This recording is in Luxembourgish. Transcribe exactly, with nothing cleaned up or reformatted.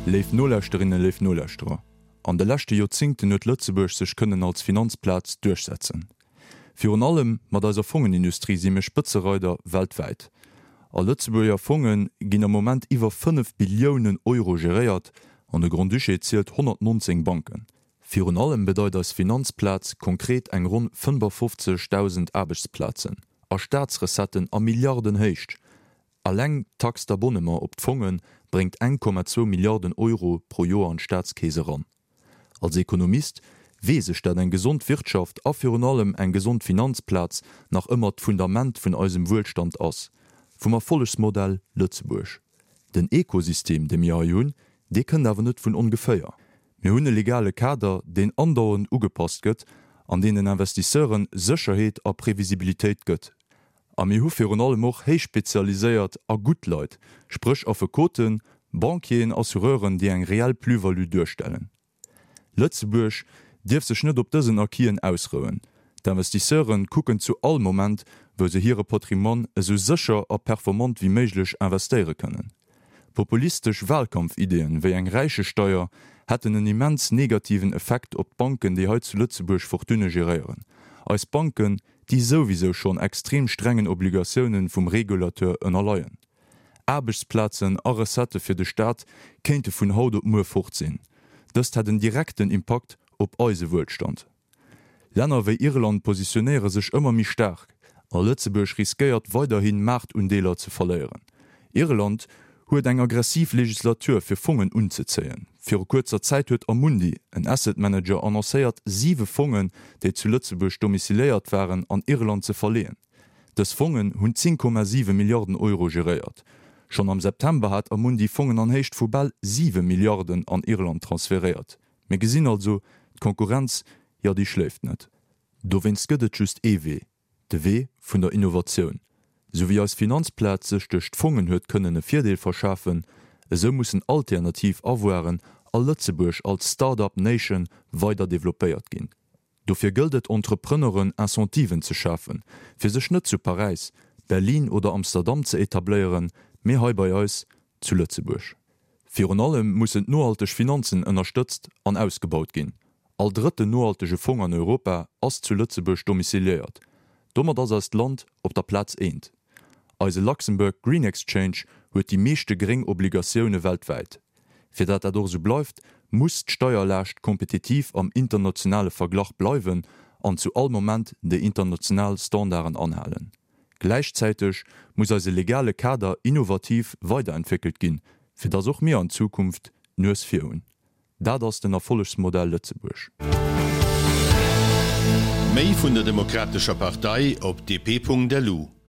Léif Nolauschterinnen, léif Nolauschterer, an de leschte Joerzéngten huet Lëtzebuerg sech kënnen als Finanzplaz duerchsetzen. Virun allem mat eiser Fongenindustrie si mir Spëtzereider weltwäit. A Lëtzebuerger Fonge ginn am Moment iwwer fënnef Billiounen Euro geréiert an de Grand-Duché zielt honnertnonzéng Banken. Virun allem bedeit eis Finanzplaz konkret eng ronn fënnefafofzegdausend Aarbechtsplazen a Staatsrecetten a Milliardenhéicht. Alleng d'Taxe d'abonnement op d'Fonge bréngt eng Komma zwou Milliarden Euro pro Joer an d'Staatskeess eran. Als Ekonomist weess ech, dat eng gesond Wirtschaft a virun allem eng gesond Finanzplaz nach ëmmer d'Fundament vun eisem Wuelstand ass, vum Erfollegsmodell Lëtzebuerg. Den Ekosystem, dee mir hei hunn, dee kënnt awer net vun ongeféier. Mir hunn e legale Kader, deen andauernd ugepasst gëtt an deen den Investisseure Sécherheet a Previsibilitéit gëtt. A mir hu virun allem och héich spezialiséiert a gutt Leit, spréch Affekoten, Banquieren, Assureuren, déi eng reell Plus-value duerstellen. Lëtzebuerg dierf sech net op dësen Acquisen ausrouen. D'Investisseure kucken zu all Moment, wou se hire Patrimoine esou sécher a performant wéi méiglech investéiere kënnen. Populistesch Wahlkampfideeën, wéi eng Räichesteier, hätten en immens negativen Effekt op d'Banken, déi hei zu Lëtzebuerg Fortunne geréieren. Eis Banken, déi souwisou schonn extrem strengen Obligatioune vum Regulateur ënnerleien. Aarbechtsplazen a Recettë fir de Staat kéinte vun haut op muer fort sinn. Dëst hätt en direkten Impakt op eise Wuelstand. Länner wéi Irland positionéiere sech ëmmer méi staark a Lëtzebuerg riskéiert weiderhi Maartundeeler ze verléieren. Irland huet eng aggressiv Legislatur fir Fongen unzezéien. Viru kuerzer Zäit huet Amundi, en Asset Manager, annoncéiert siwe Fongen, déi zu Lëtzebuerg domiciliéiert waren, an Irland ze verleeën. Dës Fongen hunn zéng Komma siwe Milliarden Euro geréiert. Schonn am September hat Amundi Fongen an Héicht vu bal siwe Milliarden an Irland transferéiert. Mir gesinn also, d'Konkurrenz, jo déi schléift net. Dowéinst gëtt et just ee Wee, de Wee vun der Innovatioun. Sou wéi eis Finanzplaz sech duerch d'Fongen huet kënnen e Virdeel verschafen, esou mussen alternativ Avoiren a Lëtzebuerg als Start-up Nation weider developpéiert ginn. Dofir gëllt et Entrepreneuren Incentiven ze schafen, fir sech net zu Paräis, Berlin oder Amsterdam ze etabléieren, mee hei bei eis zu Lëtzebuerg. Virun allem mussen d'nohalteg Finanzen ënnerstëtzt an ausgebaut ginn. All drëtten nohaltege Fong an Europa ass zu Lëtzebuerg domiciliéiert. Domat ass eist Land op der Plaz eent. Eise Luxembourg Green Exchange huet déi meeschte gréng Obligatioune weltwäit. Fir dat dat och esou bleift, muss d'Steierlaascht kompetitiv am internationale Verglach bleiwen an zu all Moment déi international Standarden anhalen. Gläichzäiteg muss eise legale Kader innovativ weiderentwéckelt ginn, fir dass och mir an Zukunft d'Nues vir hunn. Dat ass den Erfollegsmodell Lëtzebuerg. Méi vun der Demokratescher Partei op D P Punkt L U.